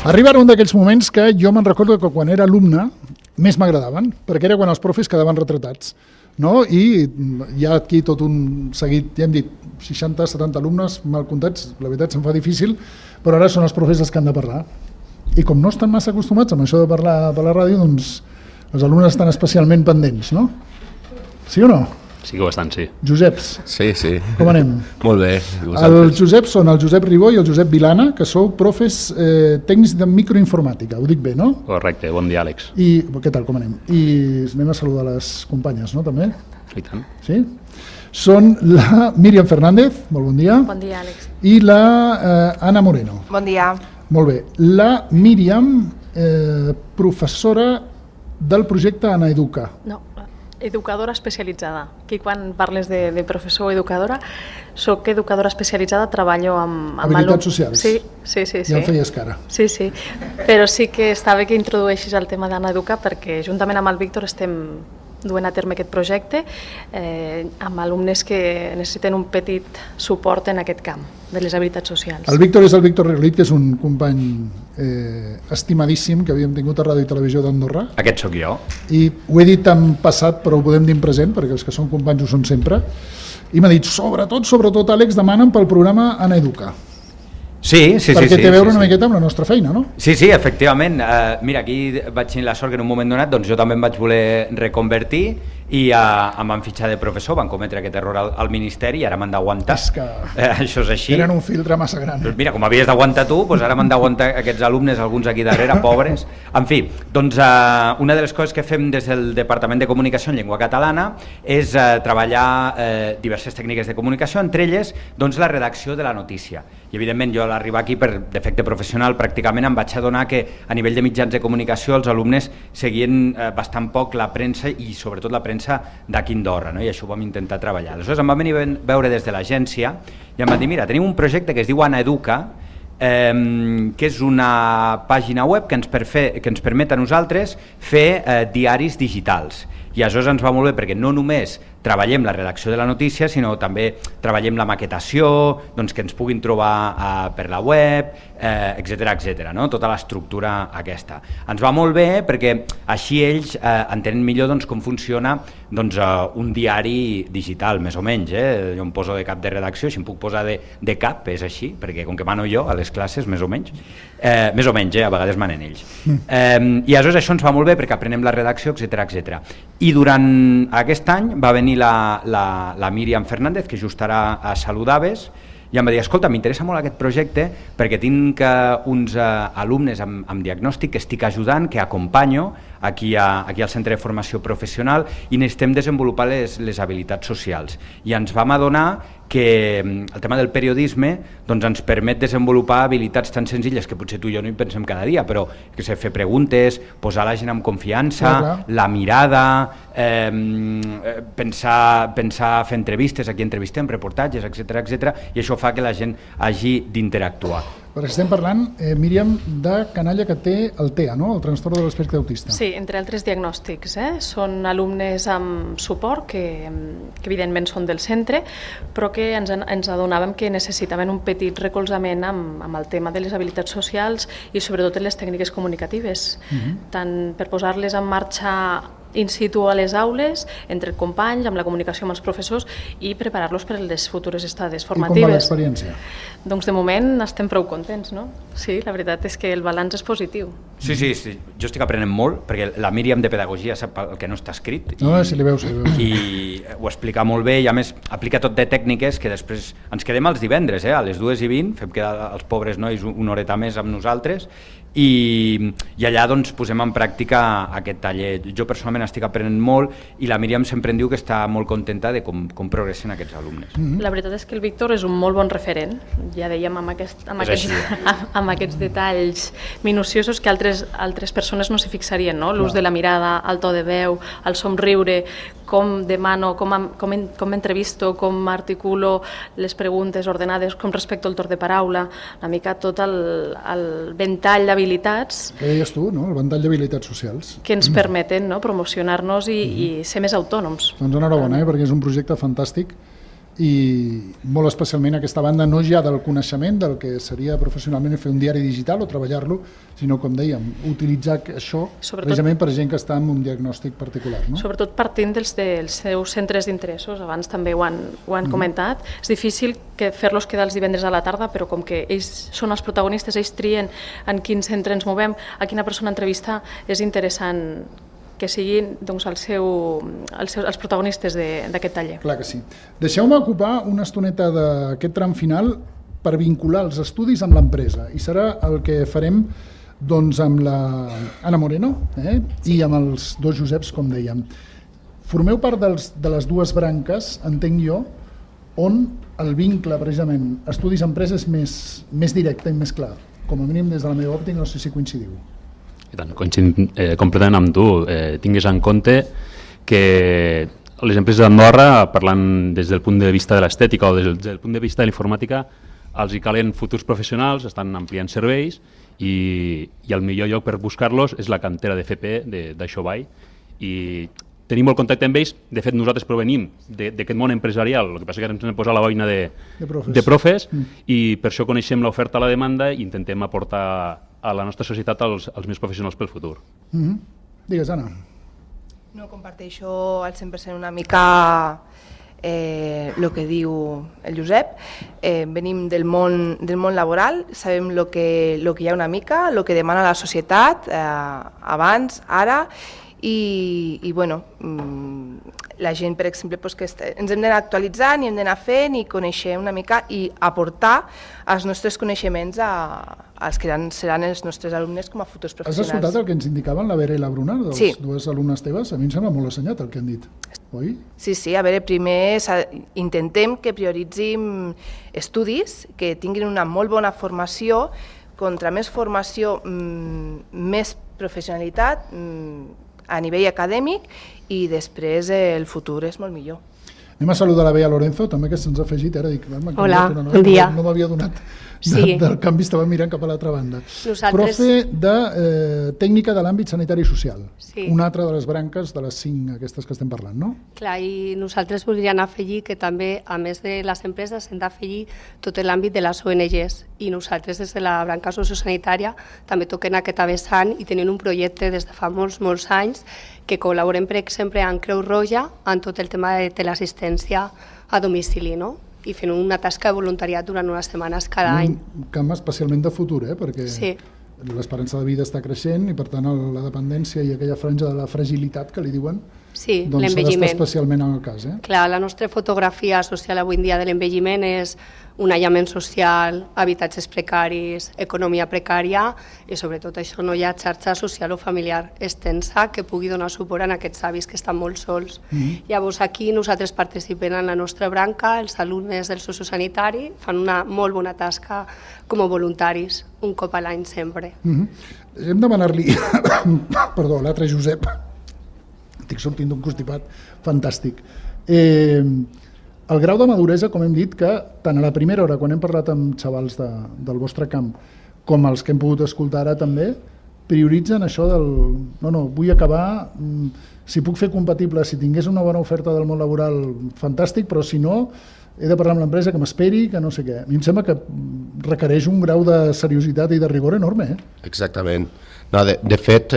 Arriba un d'aquells moments que jo me'n recordo que quan era alumne més m'agradaven, perquè era quan els profes quedaven retratats. No? I hi ha aquí tot un seguit, ja hem dit, 60-70 alumnes mal comptats, la veritat se'm fa difícil, però ara són els profes els que han de parlar. I com no estan massa acostumats amb això de parlar per la ràdio, doncs els alumnes estan especialment pendents, no? Sí o no? Sí que bastant, sí. Joseps. Sí, sí. Com anem? Molt bé. El Josep són el Josep Ribó i el Josep Vilana, que sou profes tècnics de microinformàtica, ho dic bé, no? Correcte, bon dia, Àlex. I què tal, com anem? I anem a saludar les companyes, no, també? I tant. Sí? Són la Míriam Fernández, molt bon dia. Bon dia, Àlex. I la Anna Moreno. Bon dia. Molt bé. La Míriam, professora del projecte Ana Educa. No, educadora especialitzada. Aquí quan parles de professor o educadora, soc educadora especialitzada, treballo amb habilitats socials. Sí. Ja em feies cara. Sí, però sí que està bé que introdueixis el tema d'Ana Educa perquè juntament amb el Víctor estem duent a terme aquest projecte amb alumnes que necessiten un petit suport en aquest camp de les habilitats socials. El Víctor és el Víctor Regolit, que és un company estimadíssim que havíem tingut a Ràdio i Televisió d'Andorra. Aquest sóc jo. I ho he dit en passat, però ho podem dir en present, perquè els que són companys ho són sempre. I m'ha dit, sobretot, Àlex, demanen pel programa Ana Educa. Sí. Perquè té a veure una miqueta amb la nostra feina, no? Sí, efectivament. Mira, aquí vaig tenir la sort que en un moment donat doncs jo també em vaig voler reconvertir i em van fitxar de professor, van cometre aquest error al Ministeri i ara m'han d'aguantar. És que això és així. Tenen un filtre massa gran. Doncs mira, com havies d'aguantar tu, doncs ara m'han d'aguantar aquests alumnes, alguns aquí darrere, pobres. En fi, doncs una de les coses que fem des del Departament de Comunicació en Llengua Catalana és treballar diverses tècniques de comunicació, entre elles doncs, la redacció de la notícia. I evidentment jo a l'arribar aquí per defecte professional pràcticament em vaig adonar que a nivell de mitjans de comunicació els alumnes seguien bastant poc la premsa i sobretot la premsa d'aquí Andorra, no? I això ho vam intentar treballar. Aleshores em van venir a veure des de l'agència i em van dir, mira, tenim un projecte que es diu Ana Educa, que és una pàgina web que ens permet a nosaltres fer diaris digitals. I aleshores ens va molt bé perquè no només treballem la redacció de la notícia, sinó també treballem la maquetació, doncs que ens puguin trobar per la web, etc., no? Tota l'estructura aquesta. Ens va molt bé perquè així ells entenen millor doncs, com funciona doncs, un diari digital, més o menys. Jo em poso de cap de redacció, si em puc posar de cap, és així, perquè com que mano jo a les classes, més o menys, a vegades manen ells. I aleshores això ens va molt bé perquè aprenem la redacció, etc. I durant aquest any va venir la Míriam Fernández, que just ara saludaves, i em va dir, escolta, m'interessa molt aquest projecte perquè tinc uns alumnes amb diagnòstic que estic ajudant, que acompanyo aquí al Centre de Formació Professional i necessitem desenvolupar les habilitats socials. I ens vam adonar que el tema del periodisme doncs, ens permet desenvolupar habilitats tan senzilles que potser tu i jo no hi pensem cada dia, però que sé, fer preguntes, posar la gent amb confiança, la mirada, pensar fer entrevistes, aquí entrevistem, reportatges, etc. I això fa que la gent hagi d'interactuar. Perquè estem parlant, Míriam, de canalla que té el TEA, no? El trastorn de l'espectre autista. Sí, entre altres diagnòstics. Són alumnes amb suport, que evidentment són del centre, però que ens adonàvem que necessitaven un petit recolzament amb el tema de les habilitats socials i sobretot en les tècniques comunicatives, tant per posar-les en marxa in situ a les aules, entre companys, amb la comunicació amb els professors i preparar-los per a les futures estades formatives. I com va l'experiència? Doncs de moment estem prou contents, no? Sí, la veritat és que el balanç és positiu. Sí, jo estic aprenent molt, perquè la Míriam de Pedagogia sap el que no està escrit. Si li veus. I ho explica molt bé i a més aplica tot de tècniques que després ens quedem els divendres, a les 2:20, fem quedar els pobres nois una horeta més amb nosaltres i allà doncs posem en pràctica aquest taller. Jo personalment estic aprenent molt i la Míriam sempre em diu que està molt contenta de com progressen aquests alumnes. La veritat és que el Víctor és un molt bon referent, ja dèiem amb aquests detalls minuciosos que altres persones no s'hi fixarien, no? L'ús de la mirada, el to de veu, el somriure, com demano, com entrevisto, com articulo les preguntes ordenades, com respecto el torn de paraula, una mica tot el ventall d'habilitats que deies tu, no? El ventall d'habilitats socials que ens permeten promocionar-nos i ser més autònoms. Doncs enhorabona, perquè és un projecte fantàstic i molt especialment aquesta banda no ja del coneixement del que seria professionalment fer un diari digital o treballar-lo, sinó, com dèiem, utilitzar això precisament per gent que està en un diagnòstic particular. No? Sobretot partint dels seus centres d'interessos, abans també ho han comentat. És difícil fer-los quedar els divendres a la tarda, però com que ells són els protagonistes, ells trien en quin centre ens movem, a quina persona entrevistar, és interessant que siguin doncs, els protagonistes d'aquest taller. Clar que sí. Deixeu-me ocupar una estoneta d'aquest tram final per vincular els estudis amb l'empresa, i serà el que farem doncs, amb la Anna Moreno i amb els dos Joseps, com dèiem. Formeu part de les dues branques, entenc jo, on el vincle, precisament, estudis-empresa és més directe i més clar. Com a mínim, des de la meva òptica, no sé si coincidiu. I tant, coincidim completament amb tu. Tingues en compte que les empreses d'Andorra, parlant des del punt de vista de l'estètica o des del punt de vista de l'informàtica, els hi calen futurs professionals, estan ampliant serveis i el millor lloc per buscar-los és la cantera de FP d'Aixovall, i tenim molt contacte amb ells. De fet, nosaltres provenim d'aquest món empresarial, el que passa que ens hem posat la boina de profes i per això coneixem l'oferta a la demanda i intentem aportar a la nostra societat els més professionals pel futur. Digues, Anna. No, comparteixo al 100% una mica el que diu el Josep. Venim del món laboral, sabem el que hi ha una mica, el que demana la societat abans, ara, i bueno, la gent, per exemple, que ens hem d'anar actualitzant i hem d'anar fent i conèixer una mica i aportar els nostres coneixements als que seran els nostres alumnes com a futurs professionals. Has escoltat el que ens indicaven la Vera i la Bruna, dels dues alumnes teves? A mi em sembla molt assenyat el que han dit, oi? Sí, a veure, primer intentem que prioritzin estudis, que tinguin una molt bona formació, contra més formació, més professionalitat, a nivell acadèmic, i després el futur és molt millor. Anem a saludar la Bea Lorenzo, també, que se'ns ha afegit. Hola, bon dia. No m'havia donat del canvi, estava mirant cap a l'altra banda. Profe de tècnica de l'àmbit sanitari i social, una altra de les branques de les 5 aquestes que estem parlant, no? Clar, i nosaltres voldríem afegir que també, a més de les empreses, hem d'afegir tot l'àmbit de les ONGs, i nosaltres des de la branca sociosanitària també toquem aquest vessant i tenim un projecte des de fa molts anys que col·laborem, per exemple, amb Creu Roja en tot el tema de teleassistència a domicili, no? I fent una tasca de voluntariat durant unes setmanes cada any. Un camp especialment de futur, perquè l'esperança de vida està creixent i, per tant, la dependència i aquella franja de la fragilitat que li diuen doncs s'ha d'estar especialment en el cas. Clar, la nostra fotografia social avui en dia de l'envelliment és un aïllament social, habitatges precaris, economia precària i sobretot això no hi ha xarxa social o familiar extensa que pugui donar suport a aquests avis que estan molt sols. Llavors aquí nosaltres participem en la nostra branca, els alumnes del sociosanitari fan una molt bona tasca com a voluntaris, un cop a l'any sempre. Hem de demanar-li, perdó, l'altre Josep, estic sortint d'un constipat fantàstic. El grau de maduresa, com hem dit, que tant a la primera hora, quan hem parlat amb xavals del vostre camp, com els que hem pogut escoltar ara també, prioritzen això del no, vull acabar, si puc fer compatible, si tingués una bona oferta del món laboral, fantàstic, però si no, he de parlar amb l'empresa, que m'esperi, que no sé què. A mi em sembla que requereix un grau de seriositat i de rigor enorme. Exactament. No, de fet,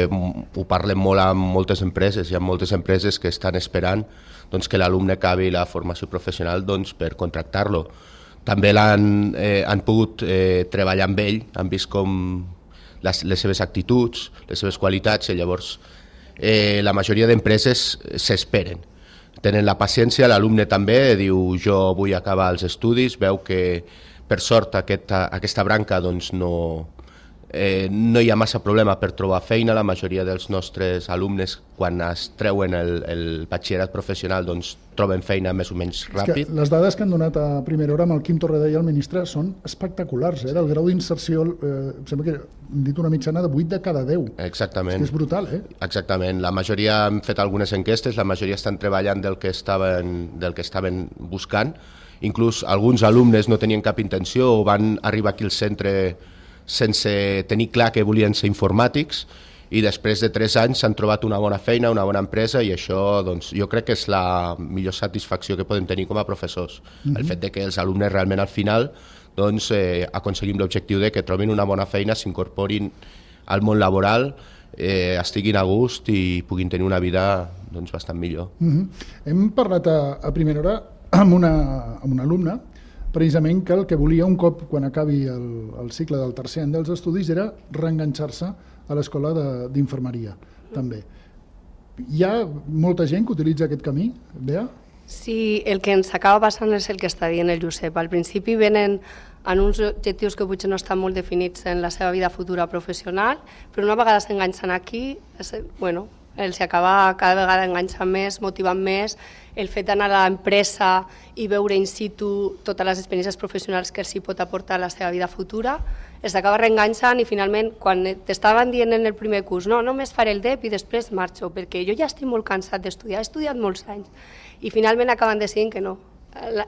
ho parlem molt amb moltes empreses, hi ha moltes empreses que estan esperant que l'alumne acabi la formació professional per contractar-lo. També han pogut treballar amb ell, han vist com les seves actituds, les seves qualitats, i llavors la majoria d'empreses s'esperen. Tenen la paciència, l'alumne també diu jo vull acabar els estudis, veu que per sort aquesta branca no hi ha massa problema per trobar feina. La majoria dels nostres alumnes, quan es treuen el batxillerat professional, troben feina més o menys ràpid. Les dades que han donat a primera hora amb el Quim Torredà i el ministre són espectaculars, del grau d'inserció, sembla que hem dit una mitjana de 8 de cada 10. Exactament. És brutal, Exactament. La majoria han fet algunes enquestes, la majoria estan treballant del que estaven buscant. Inclús alguns alumnes no tenien cap intenció o van arribar aquí al centre sense tenir clar que volien ser informàtics, i després de 3 anys s'han trobat una bona feina, una bona empresa, i això doncs, jo crec que és la millor satisfacció que podem tenir com a professors. El fet de que els alumnes realment al final doncs, aconseguim l'objectiu de que trobin una bona feina, s'incorporin al món laboral, estiguin a gust i puguin tenir una vida doncs, bastant millor. Hem parlat a primera hora amb una alumna precisament que el que volia un cop quan acabi el cicle del tercer any dels estudis era reenganxar-se a l'escola d'infermeria també. Hi ha molta gent que utilitza aquest camí, Bea? Sí, el que ens acaba passant és el que està dient el Josep. Al principi venen en uns objectius que potser no estan molt definits en la seva vida futura professional, però una vegada s'enganxen aquí, els acaba cada vegada enganxant més, motivant més, el fet d'anar a l'empresa i veure in situ totes les experiències professionals que els hi pot aportar a la seva vida futura, els acaba reenganxant i finalment, quan t'estaven dient en el primer curs, no, només faré el DEP i després marxo, perquè jo ja estic molt cansat d'estudiar, he estudiat molts anys, i finalment acaben decidint que no.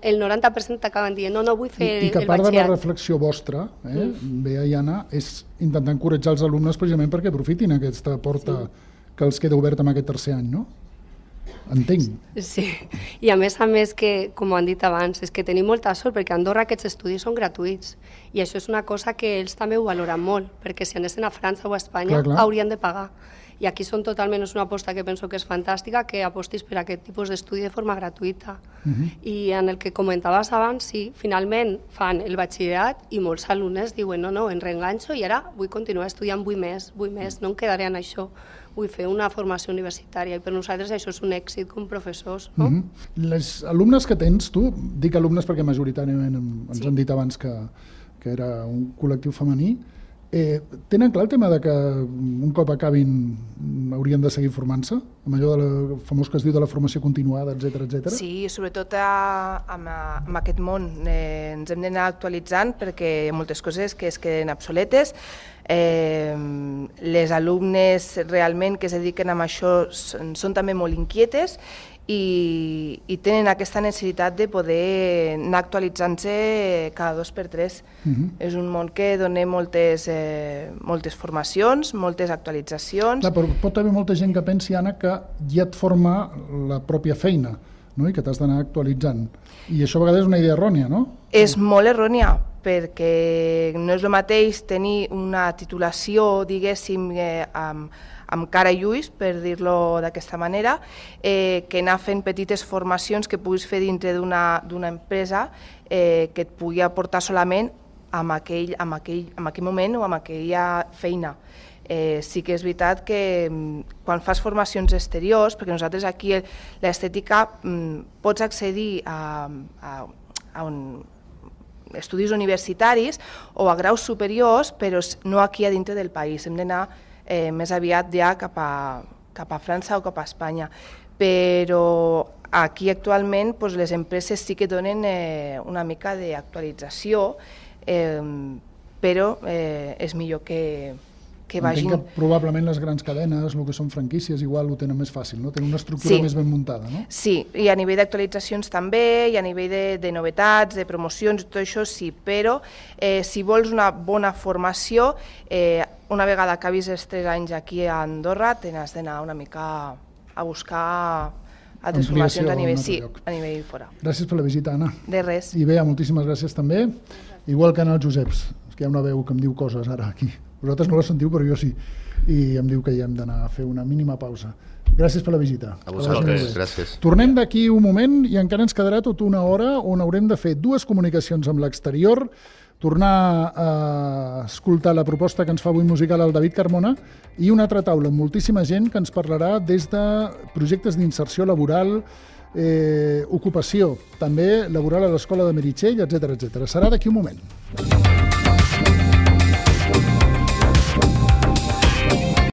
El 90% acaben dient, no, vull fer el batxillerat. I que part de la reflexió vostra, Bea i Anna, és intentar encoratjar els alumnes precisament perquè aprofitin aquesta porta que els queda oberta amb aquest tercer any, no? Entenc. Sí, i a més que, com han dit abans, és que tenim molta sort perquè a Andorra aquests estudis són gratuïts i això és una cosa que ells també ho valoren molt, perquè si anessin a França o a Espanya haurien de pagar. I aquí són totalment una aposta que penso que és fantàstica, que apostis per aquest tipus d'estudi de forma gratuïta. I en el que comentaves abans, sí, finalment fan el batxillerat i molts alumnes diuen no, em reenganxo i ara vull continuar estudiant, vull més, no em quedaré en això, vull fer una formació universitària i per nosaltres això és un èxit com professors. No? Les alumnes que tens, tu, dic alumnes perquè majoritàriament ens han dit abans que era un col·lectiu femení, tenen clar el tema de que un cop acabin haurien de seguir formant-se? Amb allò famós que es diu de la formació continuada, etc. Sí, sobretot amb aquest món ens hem d'anar actualitzant perquè hi ha moltes coses que es queden obsoletes. Les alumnes realment que es dediquen a això són també molt inquietes i tenen aquesta necessitat de poder anar actualitzant-se cada 2 per 3. És un món que dona moltes formacions, moltes actualitzacions. Clar, però pot haver molta gent que pensi, Anna, que ja et forma la pròpia feina, no? I que t'has d'anar actualitzant. I això a vegades és una idea errònia, no? És molt errònia, perquè no és el mateix tenir una titulació, diguéssim, amb cara i ulls, per dir-lo d'aquesta manera, que anar fent petites formacions que puguis fer dintre d'una empresa que et pugui aportar solament en aquell moment o en aquella feina. Sí que és veritat que quan fas formacions exteriors, perquè nosaltres aquí l'estètica pots accedir a estudis universitaris o a graus superiors, però no aquí a dintre del país. Hem d'anar més aviat ja cap a França o cap a Espanya. Però aquí actualment les empreses sí que donen una mica d'actualització, però és millor que vagin... Entenc que probablement les grans cadenes, el que són franquícies, igual ho tenen més fàcil, no? Tenen una estructura més ben muntada, no? Sí, i a nivell d'actualitzacions també, i a nivell de novetats, de promocions, tot això sí, però si vols una bona formació, una vegada acabis els 3 anys aquí a Andorra, t'has d'anar una mica a buscar altres formacions a nivell fora. Gràcies per la visita, Anna. De res. I Bea, moltíssimes gràcies també, igual que en el Joseps, que hi ha una veu que em diu coses ara aquí. Vosaltres no la sentiu, però jo sí. I em diu que hi hem d'anar a fer una mínima pausa. Gràcies per la visita. A vosaltres, gràcies. Tornem d'aquí un moment i encara ens quedarà tota una hora on haurem de fer 2 comunicacions amb l'exterior, tornar a escoltar la proposta que ens fa avui musical el David Carmona i una altra taula amb moltíssima gent que ens parlarà des de projectes d'inserció laboral, ocupació, també laboral a l'Escola de Meritxell, etc. Serà d'aquí un moment.